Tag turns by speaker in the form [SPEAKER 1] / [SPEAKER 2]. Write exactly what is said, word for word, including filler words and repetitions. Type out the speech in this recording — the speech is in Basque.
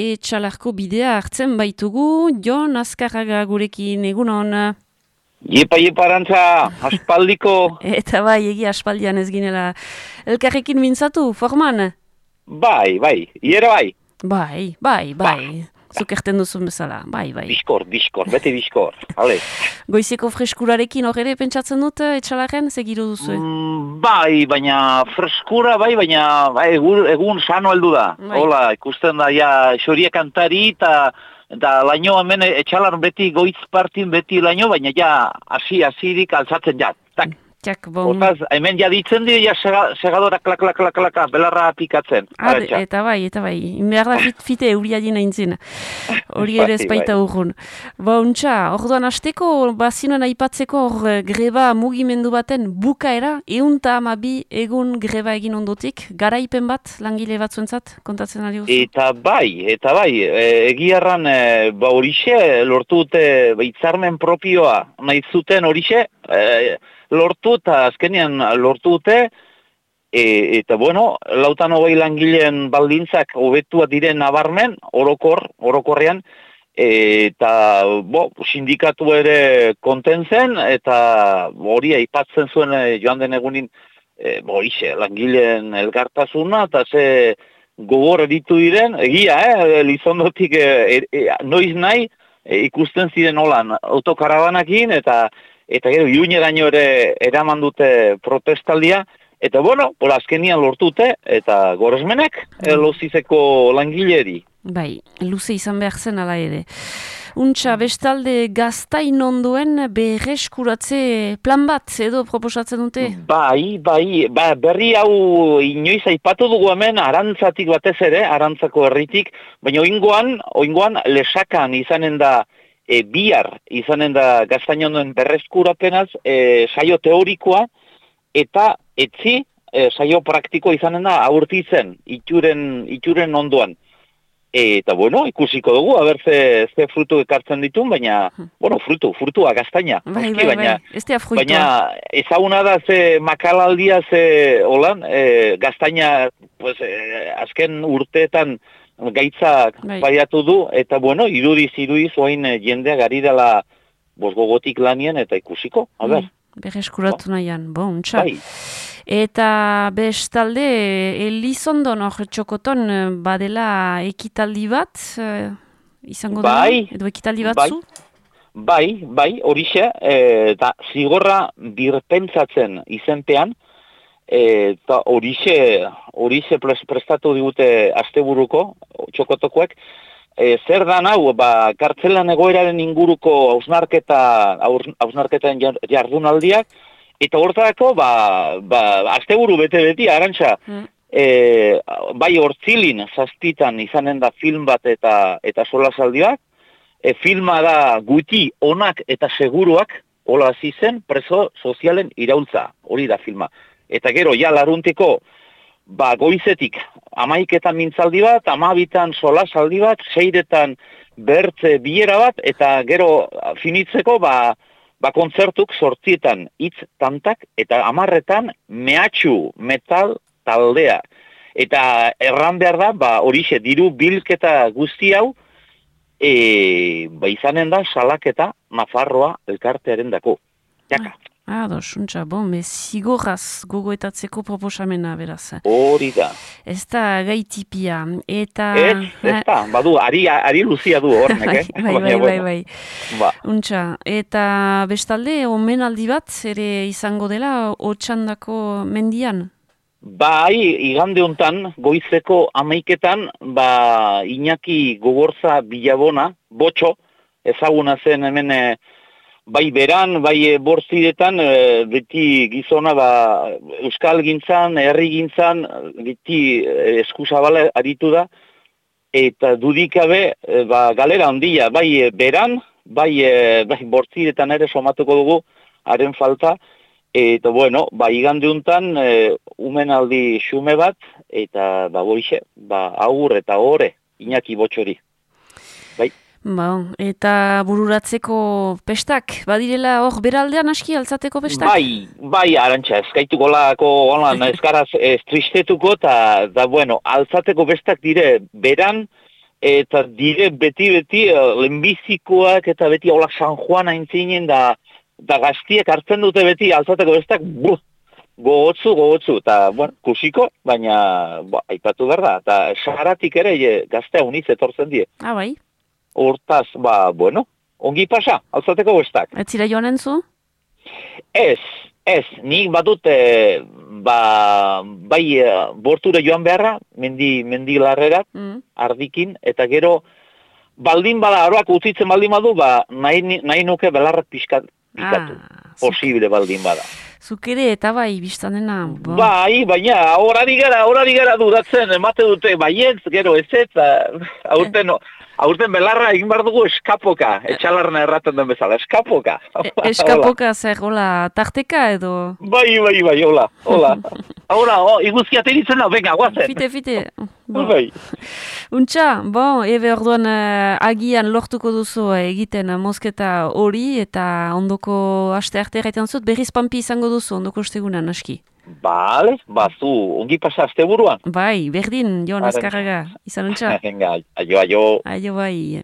[SPEAKER 1] etxalarko bidea hartzen baitugu. Jon Azkarraga gurekin, egunon.
[SPEAKER 2] Iepa, iepa, Arantza, aspaldiko.
[SPEAKER 1] Eta bai, egia aspaldian ez ginela. Elkarrekin mintzatu, forman?
[SPEAKER 2] Bai, bai, iera bai.
[SPEAKER 1] Bai, bai, bai. Zuk erten duzun bezala, bai, bai.
[SPEAKER 2] Biskor, biskor, bete biskor, hale.
[SPEAKER 1] Goizeko freskurarekin hor ere pentsatzen dut etxalaren, segiru duzu?
[SPEAKER 2] Mm, bai, baina freskura, bai, baina bai, egun, egun sano heldu da.
[SPEAKER 1] Bai.
[SPEAKER 2] Hola, ikusten da, ja, xoria kantari eta da laino hemen etxalar beti goiz partin beti laino, baina ja, hasi hasirik altzatzen ja. Tak.
[SPEAKER 1] Txak, bon.
[SPEAKER 2] Hortaz, hemen ja ditzen dira, ja sega, segadora klak, klak, klak, klak, belarra pikatzen.
[SPEAKER 1] Ah, eta bai, eta bai. Inbehar da fit, fite euria dina intzin. Hori ere ezpaita urrun. Ba, untxa, orduan hasteko, bazinoen aipatzeko hor greba mugimendu baten bukaera, eunta amabi egun greba egin ondotik, garaipen bat, langile batzuentzat, kontatzen ari guzu?
[SPEAKER 2] Eta bai, eta bai, e, egiarran, e, ba horixe, lortu dute, ba, hitzarmen propioa, nahi zuten horixe, e, lortu eta azkenean lortu dute, e, eta bueno, lautan hogei langileen baldintzak hobetua diren nabarmen, orokor, orokorrean, e, eta bo, sindikatu ere konten zen, eta hori aipatzen zuen e, joan den egunin, e, bo, ixe, langileen elkartasuna, eta ze gogor eritu diren, egia, eh, Lizondotik e, e, noiz nahi, e, ikusten ziren holan, autokarabanakin, eta eta gero iruñeraino ere eraman dute protestaldia, eta bueno, pola azkenian lortute, eta goresmenek mm. lozizeko langileri.
[SPEAKER 1] Bai, luze izan behar zen ala ere. Untxa, bestalde gaztain onduen berreskuratze plan bat edo proposatzen dute?
[SPEAKER 2] Bai, bai, ba, berri hau inoiz aipatu dugu hemen Arantzatik batez ere, Arantzako herritik, baina oingoan, oingoan lesakan izanen da, E, bihar izanen da gaztainoen berreskurapenaz e, saio teorikoa eta etzi e, saio praktiko izanen da aurtitzen itxuren, itxuren ondoan. E, eta bueno, ikusiko dugu, haber ze, ze frutu ekartzen ditun, baina, bueno, frutu, frutua, gaztaina.
[SPEAKER 1] Bai, bai,
[SPEAKER 2] baina,
[SPEAKER 1] bai, ez da frutua.
[SPEAKER 2] Baina ezaguna da ze makalaldia ze holan, e, gaztaina pues, e, azken urteetan gaitzak baiatu du, eta bueno, irudiz, irudiz, oain jendea gari dela bosgogotik lanien, eta ikusiko, a ber.
[SPEAKER 1] Mm, Berreskuratu nahian, bon, txa.
[SPEAKER 2] Bai.
[SPEAKER 1] Eta bestalde, Elizondon hor txokoton badela ekitaldi bat, eh, izango
[SPEAKER 2] bai,
[SPEAKER 1] da, edo ekitaldi batzu?
[SPEAKER 2] Bai, bai, bai horixe, eta e, zigorra birpentsatzen izenpean, eta horixe, horixe prestatu digute asteburuko, txokotokoek, e, zer dan hau, ba, kartzelan egoeraren inguruko hausnarketa, hausnarketen jardunaldiak, eta hortarako, ba, ba, asteburu bete-beti, Arantxa, mm. e, bai hortzilin zaztitan izanen da film bat eta, eta solasaldiak, e, filma da guti onak eta seguruak, hola hasi zen, preso sozialen iraultza, hori da filma. Eta gero, ja, laruntiko, ba, goizetik, amaiketan mintzaldi bat, amabitan solasaldi bat, seiretan bertze bilera bat, eta gero finitzeko, ba, ba kontzertuk sortzietan hitz tantak, eta amarretan mehatxu metal taldea. Eta erran behar da, ba, horixe, diru bilketa guzti hau, e, ba, izanen da salaketa Nafarroa elkartearen dako. Jaka.
[SPEAKER 1] Ah, dosuntza, bon, me zigorraz gogoetatzeko proposamena, beraz.
[SPEAKER 2] Hori da.
[SPEAKER 1] Ez da gaitipia, eta...
[SPEAKER 2] Ez, ez da, badu, ari, ari luzia du hornek, eh?
[SPEAKER 1] Bai, bai, bai, bai.
[SPEAKER 2] Ba.
[SPEAKER 1] Untza, eta bestalde, omenaldi bat, ere izango dela, Otxandako mendian?
[SPEAKER 2] Bai, igande hontan, goizeko amaiketan, ba, Iñaki Gogorza Bilabona, botxo, ezaguna zen hemen... Bai beran, bai bortziretan, e, beti gizona ba, euskal gintzan, herri gintzan, beti eskuzabala aritu da, eta dudikabe e, ba, galera handia, bai beran, bai, e, bai bortziretan ere somatuko dugu, haren falta, eta bueno, ba, igande untan, e, umenaldi xume bat, eta ba, boixe, ba, agur eta ore, Iñaki Botxori. Bai.
[SPEAKER 1] Ba, eta bururatzeko pestak, badirela hor beraldean aski altzateko pestak?
[SPEAKER 2] Bai, bai, Arantxa, eskaituko lako, holan, eskaraz ez tristetuko, eta, da, bueno, altzateko pestak dire beran, eta dire beti-beti lehenbizikoak eta beti hola San Juan aintzinen da, da gaztiek hartzen dute beti alzateko bestak, buh, gogotzu, gogotzu, eta, bueno, kusiko, baina, ba, aipatu behar da, eta saharatik ere e, gaztea uniz etortzen die.
[SPEAKER 1] Ah, bai?
[SPEAKER 2] Hortaz, ba, bueno, ongi pasa, alzateko bestak.
[SPEAKER 1] Ez zira joan entzu?
[SPEAKER 2] Ez, ez, nik badut, e, ba, bai, e, borture joan beharra, mendi, mendi larrerat,
[SPEAKER 1] Mm.
[SPEAKER 2] ardikin, eta gero, baldin bada, aroak utzitzen baldin badu, ba, nahi, nahi nuke belarrak pixkat, pikatu.
[SPEAKER 1] Ah,
[SPEAKER 2] Posible baldin bada.
[SPEAKER 1] zuk ere eta bai, biztanena. Bo.
[SPEAKER 2] Bai, baina, horari gara, horari gara dudatzen, emate dute, baietz, gero ez ez, aurten, aurten belarra egin behar dugu eskapoka, etxalarna erraten den bezala, eskapoka.
[SPEAKER 1] E, eskapoka zer, hola, tarteka edo?
[SPEAKER 2] Bai, bai, bai, hola, hola. Hora, oh, iguzkia teritzen da, venga, guazen.
[SPEAKER 1] Fite, fite. Bo.
[SPEAKER 2] Bai.
[SPEAKER 1] Untxa, bon, ebe orduan uh, agian lortuko duzu uh, egiten uh, mosketa hori eta ondoko aste arte erraiten zut, berriz pampi izango duzu ondoko ostegunan, aski.
[SPEAKER 2] Bale, bazu, ongi pasa azte buruan.
[SPEAKER 1] Bai, berdin, Jon Azkarraga, izan untxa.
[SPEAKER 2] Venga, aio, aio.
[SPEAKER 1] Aio bai.